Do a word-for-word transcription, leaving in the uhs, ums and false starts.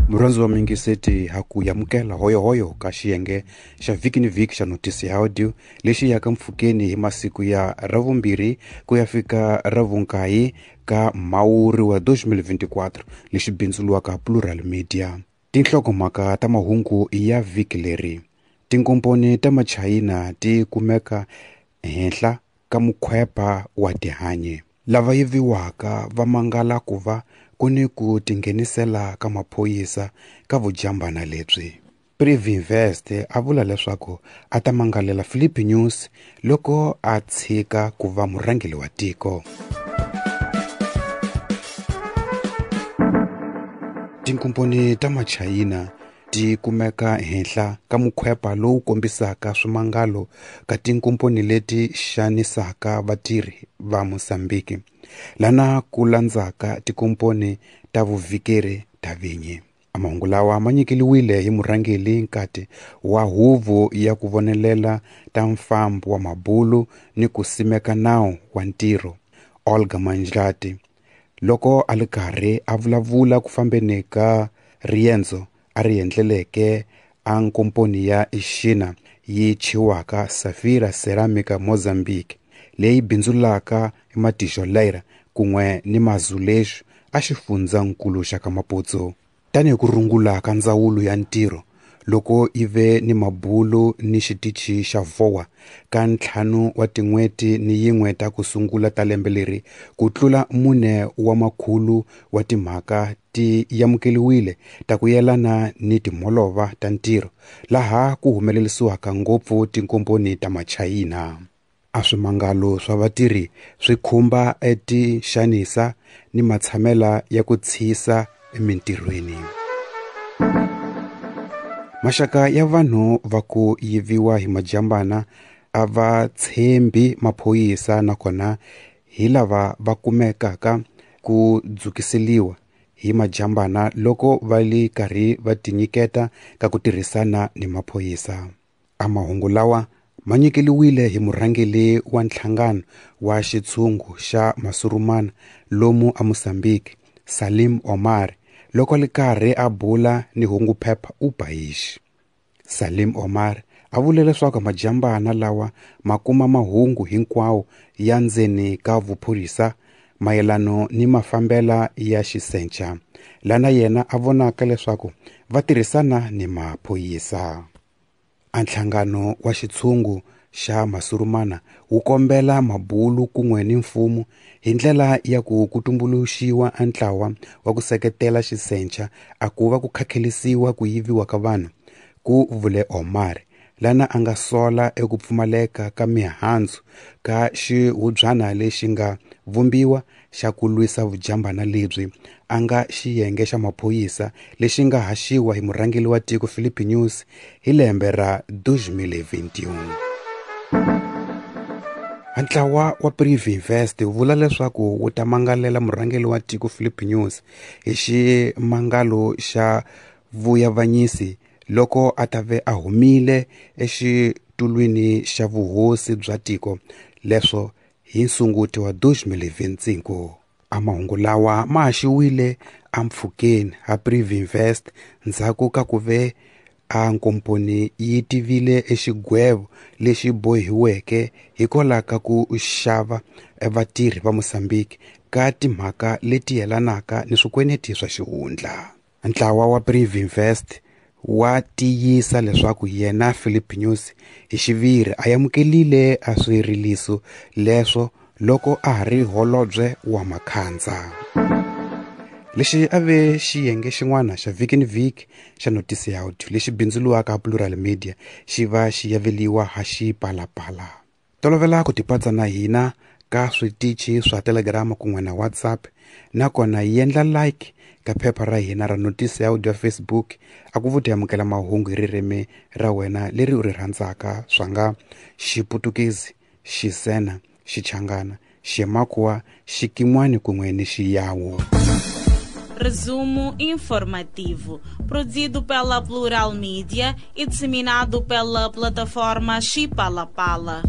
Murhandzi wa mingiseti ha ku yamukela hoyohoyo ka xiyenge xa vhiki ni vhiki xa notisi ya audio lexi yaka mpfhukeni hi masiku ya ravumbirhi ku ya fika ravunkayi ka Mhawuri wa twenty twenty-four lexi bindzuriwaka Plural Media. Tinhlokomhaka ta mahungu ya vhiki leri: tinkomponi ta machayina ti kumeka henhla ka mukhwepa wa tihanyi, lava yiviwaka va mangala ku va ku ni ku tinghenisela ka maphorisa ka vujambana lebyi. Privinvest a vula leswaku a ta mangalela Filipe Nyusi loko a tshika ku va murhangeri wa tiko. Tinkomponi ta machayina ti kumeka henhla ka mukhwepa lowu kombisaka swimangalo ka tinkomponi leti xanisaka vatirhi va Mozambique, lana ku landzaka tinkomponi ta vuvhikeri ta vinyi. Mahungu lawa ma nyikeliwile hi murhangeri nkati wa huvo ya ku vonelela ta mfambo wa mabulu ni ku simeka nawu wa ntirho, Olga Manjlati, loko a li karhi a vulavula ku fambeni ka riendzo a ri endleleke a nkomponi ya Xina yi chiwaka Safira Ceramica Mozambique leyi bindzulaka matijolera kun'we ni mazulexu a xifundzankulu xa ka Maputo. Tanihi ku rungula ka ndzawulo ya ntirho loko yi ve ni mabulu ni xitichi xa V O A ka ntlhanu wa tin'hweti ni yin'we ta ku sungula ta lembe leri, ku tlula mune wa makhulu wa timhaka ti amukeriwile ta ku yelana ni timholova ta ntirho, laha ku humelerisiwaka ngopfu tinkomponi ta machayina. A swimangalo swa vatirhi swi khumba etixanisa ni matshamela ya ku tshisa emintirhweni. Maxaka ya vanhu va ku yiviwa hi majambana a va tshembi maphorisa, nakona hi lava va kumekaka ku dzukiseliwa hi majambana loko va li karhi va tinyiketa ka ku tirhisana ni maphorisa. A mahungu lawa ma nyikeliwile hi murhangeri wa nhlangano wa xitshungu xa Masurumana lomu a Mozambique, Salim Omar, loko li karhi a bula ni hunguphepha Upaish. Salim Omar a vule leswaku majambana lawa ma kuma mahungu hinkwawo ya ndzeni ka vuphorisa mayelano ni mafambela ya xisenca, lana yena a vonaka leswaku va tirhisana ni maphorisa. A nhlangano wa xitshungu xa Masurumana wu kombela mabulu kun'we ni mfumo hi ndlela ya ku ku tumbuluxiwa a ntlawa wa ku seketela xisenca a ku va ku khakhelisiwa ku yiviwa ka vanhu, ku vule Omar, lana a nga sola eku pfumaleka ka mihandzu ka xihubyana lexi nga vumbiwa xa ku lwisa vujambana lebyi a nga xiyenge xa maphorisa lexi nga haxiwa hi murhangeri wa tiko Filipe Nyusi hi lembe ra twenty twenty-one. Ntlawa wa Privinvest wu vula leswaku wu ta mangalela murhangeri wa tiko Filipe Nyusi hi ximangalo xa vuyavanyisi loko a ta ve a humile exitulwini xa vuhosi bya tiko leswo hi nsunguti wa twenty twenty-five. A mahungu lawa ma haxiwile empfhukeni ha Privinvest ndzhaku ka ku ve a nkomponi yi tivile exigwevo lexi bohiweke hikwalaho ka ku xava vatirhi va Mozambique ka timhaka leti yelanaka ni swikweneti swa xihundla. Ntlawa wa Privinvest wa tiyisa leswaku yena Filipe Nyusi hi xiviri a amukelile a swiriliso leswo loko a ha ri holobye wa Makhandza. Lexi a ve xiyenge xin'wana xa vhiki ni vhiki xa notisi ya audio lexi bindzuriwaka Plural Media xi va xi yaveliwa ha Xipalapala. Tolovela ku tipatsa na hina ka switichi swa Telegram kun'we na WhatsApp, nakona yi endla like ka phepha ra hina ra notisi ya audio ya Facebook a ku vuti amukela mahungu hi ririmi ra wena leri u ri rhandzaka swa nga Xiputukezi, Xisena, Xichangana, Ximakhuwa, Xikin'wani kun'we ni Xiyawu. Resumo informativo, produzido pela Plural Media e disseminado pela plataforma Xipalapala.